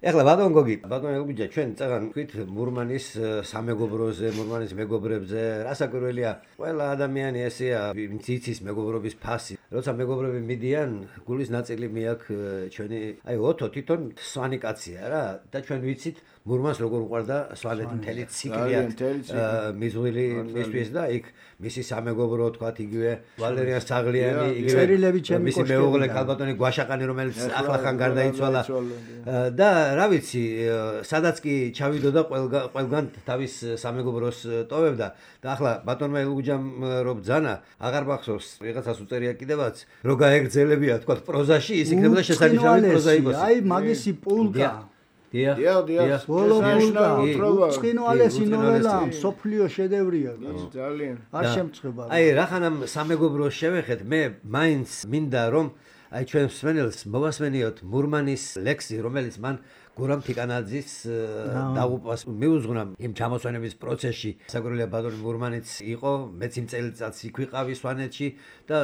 ეხლა ბატონ გოგი, ბატონ ელგუჯა, ჩვენ წაღან ვთქვით მურმანის სამეგობროზე, მურმანის მეგობრებზე, რასაკურველია, ყველა ადამიანი ესეა, ვინც იცის მეგობრობის ფასი. როცა მეგობრები მიდიან, გულის ნაწილი მეაქვს ჩვენი, აი ოთო თვითონ სვანი კაცია რა და ჩვენ ვიცით მურმანს როგორ უყვარდა სვანეთი მთელი ციკლია მიზღვილი მისთვის და იქ მისი სამეგობრო თქვათ იგივე ვალერიან საღლიანი, იგივე მისი მეუღლე კალბატონი გვაშაყანი რომელიც ახლახან გარდაიცვალა და რა ვიცი, სადაც კი ჩავიდოდა ყველგან თავის სამეგობროს ტოვებდა და ახლა ბატონმა ელგუჯამ რო ბძანა, აღარ მახსოვს, ვიღაცას უწერია კიდევაც, რო გაეგრძელებია თქვათ პროზაში, ის იქნებოდა შესანიშნავი პროზა იყოს. აი მაგისი პულკა დიახ. უწყინვალესი ნოველა, სოფლიო შედევრია. ძალიან. არ შემწება. აი რახანამ სამეგობროს შევეხეთ, მე მაინც მინდა რომ აი ჩვენ მსმენელს მოვასმენიოთ მურმანის ლექსი, რომელიც მან გურამ თიკანაძის დაღუპვას მიუძღვნა იმ ჩამოსვენების პროცესში. საკურველია ბატონი მურმანიც იყო, მეც იმ წელიწადს იქ ვიყავი სვანეთში და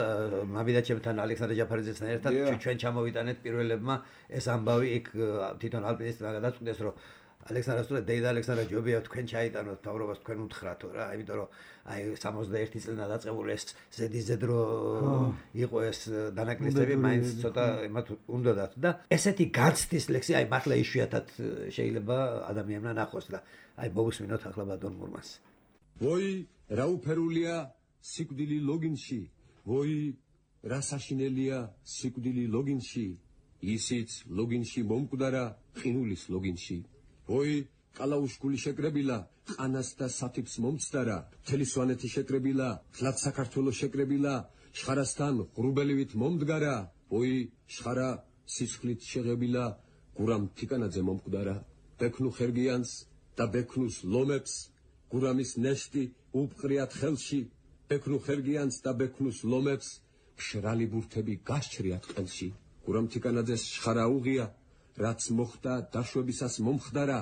მამიდაჩემთან ალექსანდრე ჯაფარიძესთან ერთად ჩვენ ჩამოვიტანეთ პირველებმა ეს ამბავი იქ თვითონ ალპინისტმა გადაწყვიტეს, რომ ალექსანდრე დეიდა ალექსანდრე ჯობია თქვენ ჩაიტანოთ თავრობას, თქვენ უთხრათო რა, იმიტომ რომ აი 61 წლიდან დაწყებული ეს ზედიზედრო იყო ეს დანაკლისები, მაინც ცოტა იმათ უნდათ და ესეთი განცდის ლექსი აი მართლა იშვიათად შეიძლება ადამიანმა ნახოს და აი მოვუსმინოთ ახლა ბატონ მურმანს. ვოი რა უფერულია სიკვდილი ლოგინში, ვოი რა საშინელია სიკვდილი ლოგინში, ისიც ლოგინში მომკვდარა ყინულის ლოგინში. ვოი კალაუშკული შეკრებილა, ყანას და სათიფს მომცდარა, მთელი სვანეთი შეკრებილა, თლად საქართველოს შეკრებილა, შხარასთან ღრუბელივით მომდგარა, ვოი შხარა სისხლით შეღებილა, გურამ თიკანაძე მომკვდარა, ბექნუ ხერგიანს და ბექნუს ლომებს, გურამის ნეშტი უბყრიათ ხელში, ბექნუ ხერგიანს და ბექნუს ლომებს, მშრალი ბურთები გასჭრიათ ყელში, გურამ თიკანაძეს შხარა უღია, რაც მოხდა დაშვებისას მომხდარა,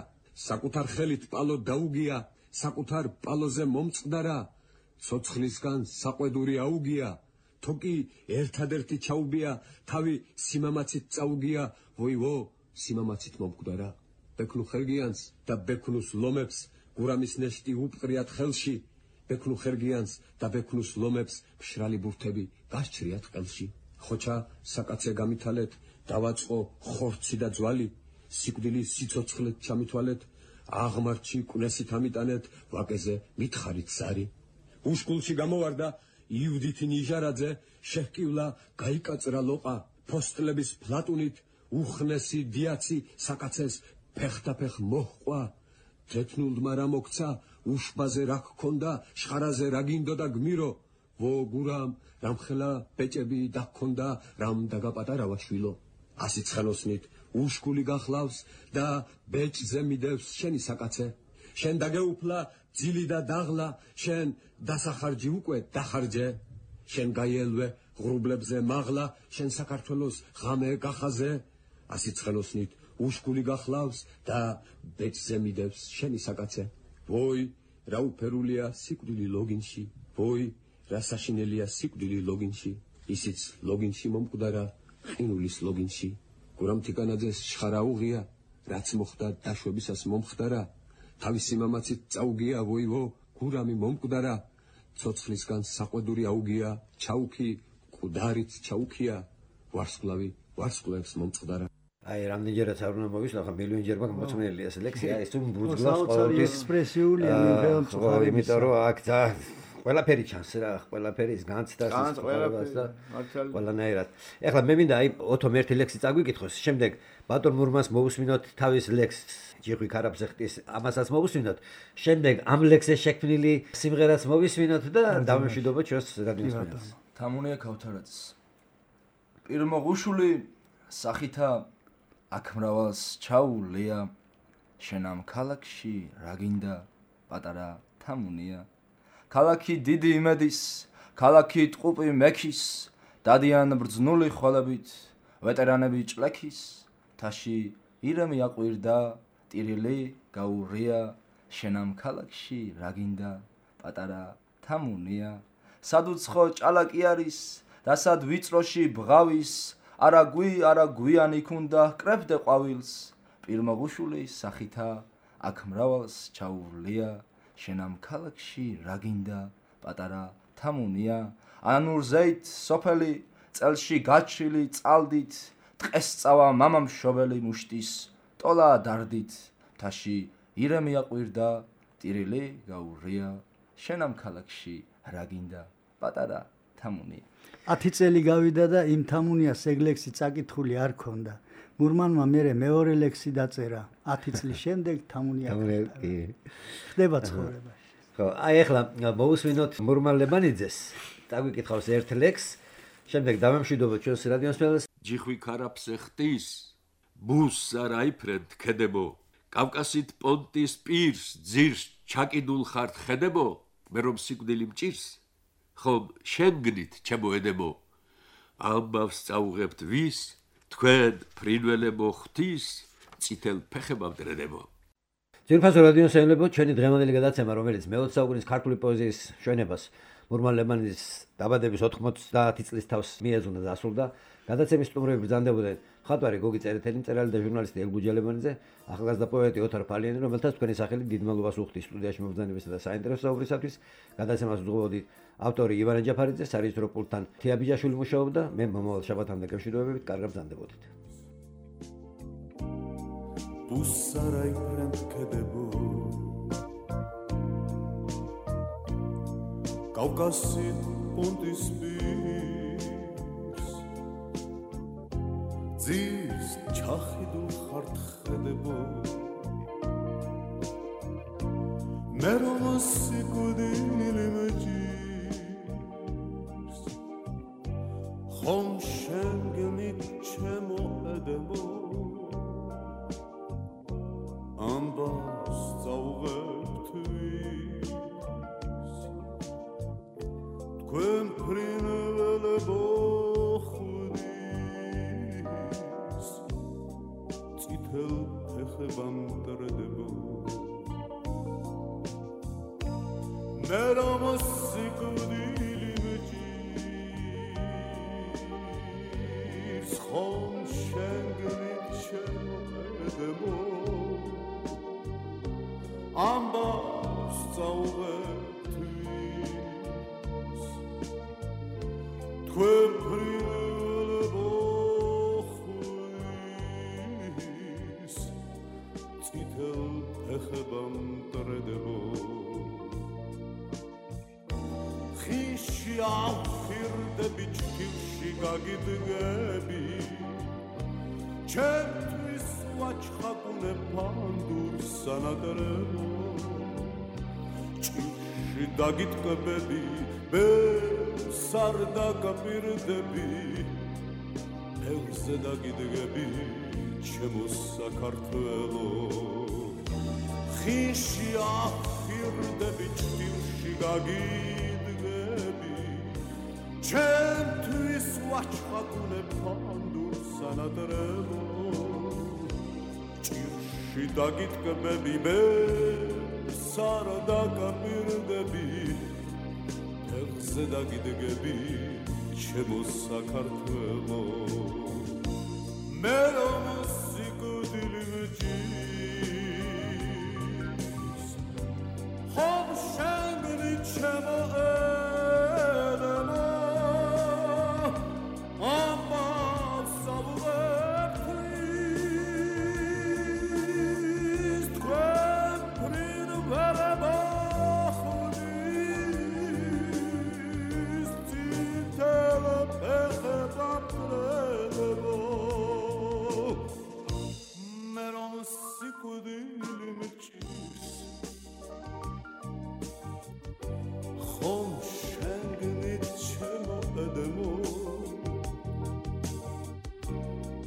საკუთარ ხელით პალო დაუგია, საკუთარ პალოზე მომწყდარა, ცოცხლისგან საყვედური აუგია, თოკი ერთადერთი ჩაუბია, თავი სიმამაცით წაუგია, ვოივო, სიმამაცით მომკვდარა. ბექნუ ხერგიანს და ბექნუს ლომებს გურამის ნეშტი უპყრიათ ხელში, ბექნუ ხერგიანს და ბექნუს ლომებს მშრალი ბურთები გასჭრიათ ყელში. ხოჩა საკაცე გამითალეთ, დავაწყო ხორცი და ძვალი, სიკვდილი სიცოცხლეთ ჩამითვალეთ, აღმართში კვნესით ამიტანეთ, ვაკეზე მითხარით ზარი. უშკულში გამოვარდა იუდითი ნიჟარაძე, შეჰკივლა გაიკაწრა ლოყა, ფოსტლების ფლატუნით, უხნესი დიაცი საკაცეს ფეხთაფეხ მოჰყვა. თეთნულდმა რა მოგცა, უშბაზე რა გქონდა, შხარაზე რა გინდოდა გმირო, ვო გურამ რამხელა ბეჭები და გქონდა, რამ დაგაპატარავა შვილო. ასიც ხელოსნით უშკული გახლავს და ბეჭზე მიდევს შენი საკაცე. შენ დაგეუფლა ძილი და დაღლა, შენ დასახარჯი უკვე დახარჯე. შენ გაიელვე ღრუბლებზე მაღლა, შენ საქართველოს ღამე გახაზე. ასიც ხელოსნით უშკული გახლავს და ბეჭზე მიდევს შენი საკაცე. ვოი, რა უფერულია სიკვდილი ლოგინში, ვოი, რა საშინელია სიკვდილი ლოგინში, ისიც ლოგინში მომკვდარა, ყინულის ლოგინში. გურამ თიკანაძეს შხარა უღია, რაც მოხდა დაშვებისას მომხდარა, თავისი მამაცით წაუგია, ვოივო, გურამი მომკვდარა, ცოცხლისგან საყვედური აუგია, ჩაუქი, მკვდარით ჩაუქია, ვარსკვლავი ვარსკვლავებს მომწყდარა. აი, რამდენჯერაც არ უნდა მოვისვა, ხა მილიონჯერმა მოწმენელია ეს ლექსია, ეს თუ ბრუძგავს ყოველთვის ექსპრესიულია მიიღებს, იმიტომ რომ აქ ყველაფერი ჩანს რა, ყველაფერი ის განცდას და ყველანაირად. ეხლა მე მინდა აი ოთომ ერთი ლექსი წაგვიკითხოს, შემდეგ ბატონ მურმანს მოусმინოთ თავის ლექსს, ჯიხვი ქარაფზეხტის, ამასაც მოусმინოთ, შემდეგ ამ ლექსზე შექმნილი სიმღერაც მოვისმინოთ და დავემშვიდობოთ ჩვენს რადიოსმენელს. თამუნია ქავთარაძის. პირმოღუშული სახითა აქ მრავალს ჩაულია, შენ ამ ქალაქში რა გინდა პატარა თამუნია. ქალაქი დიდი იმედის, ქალაქი ტყუპი მექის, დადიან ბრძნული ხვალებით, ვეტერანები ჭლექის, თაში ირემი აყვირდა, ტირილი გაურია, შენ ამ ქალაქში რა გინდა პატარა თამუნია. სადუცხო ჭალაკი არის, და სად ვიწროში ბღავის, არა გვიანი ქუნდა კრებდე ყვავილს, პირმოღუშული სახითა აქ მრავალს ჩაურლია, შენ ამ ქალაქში რა გინდა პატარა თამუნია. ანურზეით სოფელი წელში გაჩრილი წალდით, ტყეს წავა მამამშობელი მუშტის ტოლა დარდით, თაში ირემი აყვირდა, ტირილი გაურია, შენ ამ ქალაქში რა გინდა პატარა თამუნია. 10 წელი გავიდა და იმ თამუნიას ეგ ლექსი წაკითხული არ ქონდა. მურმანმა მერე მეორე ლექსი დაწერა. 10 წლის შემდეგ თამუნია ხდება ცხოვრებაში. ხო, აი ახლა მოусმინოთ მურმან ლებანიძეს. წაგვიკითხავს ერთ ლექსს, შემდეგ დავემშვიდობოთ ჩვენს რადიოსმენელს. ჯიხვი ქარაფზეხტის, ბუს არაიფრედ ქედებო, კავკასით პონტის პირს ძირს ჩაკიდულ ხართ ხედებო, მე რომ სიკვდილი მჭირს, ხომ შენგნით ჩემოედებო, ამბავს წაუღებთ ვის, თქვენ ფრინველებო ღვთის, წითელ ფეხებავ დრედებო. ძირფასო რადიოსმენელებო, ჩვენი დღევანდელი გადაცემა, რომელიც მე-20 საუკუნის ქართული პოეზიის შვენებას მურმან ლებანიძის დაბადების 90 წლის თავს მიეძღვნა და დასრულდა. გადაცემის სტუმრები ბრძანდებოდნენ მხატვარი გოგი წერეთელი, მწერალი და ჟურნალისტი ელგუჯა ლებანიძე, ახალგაზრდა პოეტი ოთარ ფალიანი, რომელთაც თქვენი სახელი დიდ მადლობას უხდის სტუდიაში მობრძანებისა და საინტერესო საუბრისათვის. გადაცემას უძღვებოდით ავტორი ივანე ჯაფარიძე, სარეჟისორო პულტთან თია ბიჯაშვილი მუშაობდა, მე მომავალ შაბათამდე გემშვიდობებით, კარგად ბრძანდებოდით. ბუსარაიფრენ ქედებო კავკასით პონტის პირს ძირს ჩახიდულ ხართ ხედებო მე რომ სიკვდილი მეჭირს ხომ შენგნით ჩემოედებო ამბავს წაუღებთ ვის თქვენ ფრინველებო ხვდის ფეხება მტრედებო მე რომ სიკვდილი მეჭირს ხომ შენ გიჩემოედებო ამბავს წაუღებთვის თქვენ ფრინველებო ხვის წითელ ფეხება მტრედებო ხიში ავხირდები ჭკილში გაგიდგები ჩემთვის ვაჩხაკუნე ფანდურს სანადრებო ჭკილში დაგიტკბები ბევრს არ დაგაპირდები ბევრზე დაგიდგები ჩემო საქართველო ხიში ავხირდები ჭკილში გაგიდგები ჩემთვის ვაჩხაკუნე ფანდურს სანადრებო ჭირში დაგიტკბები ბევრს არ დაგაპირდები ფეხზე დაგიდგები ჩემო საქართველო მე რომ სიკვდილი მეჭირს ხომ შენ გიჩემო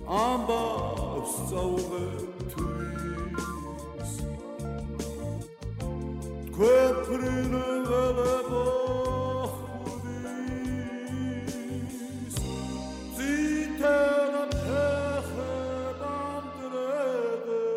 ამბავს წაუღებთვის თქვენ ფრინველებო ხვის წითელ ფეხება მტრედებო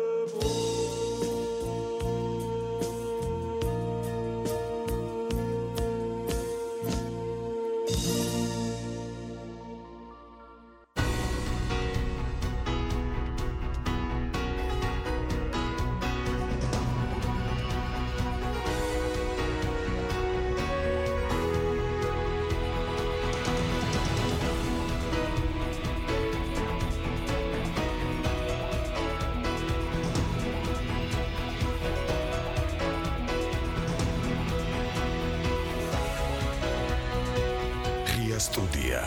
სტუდია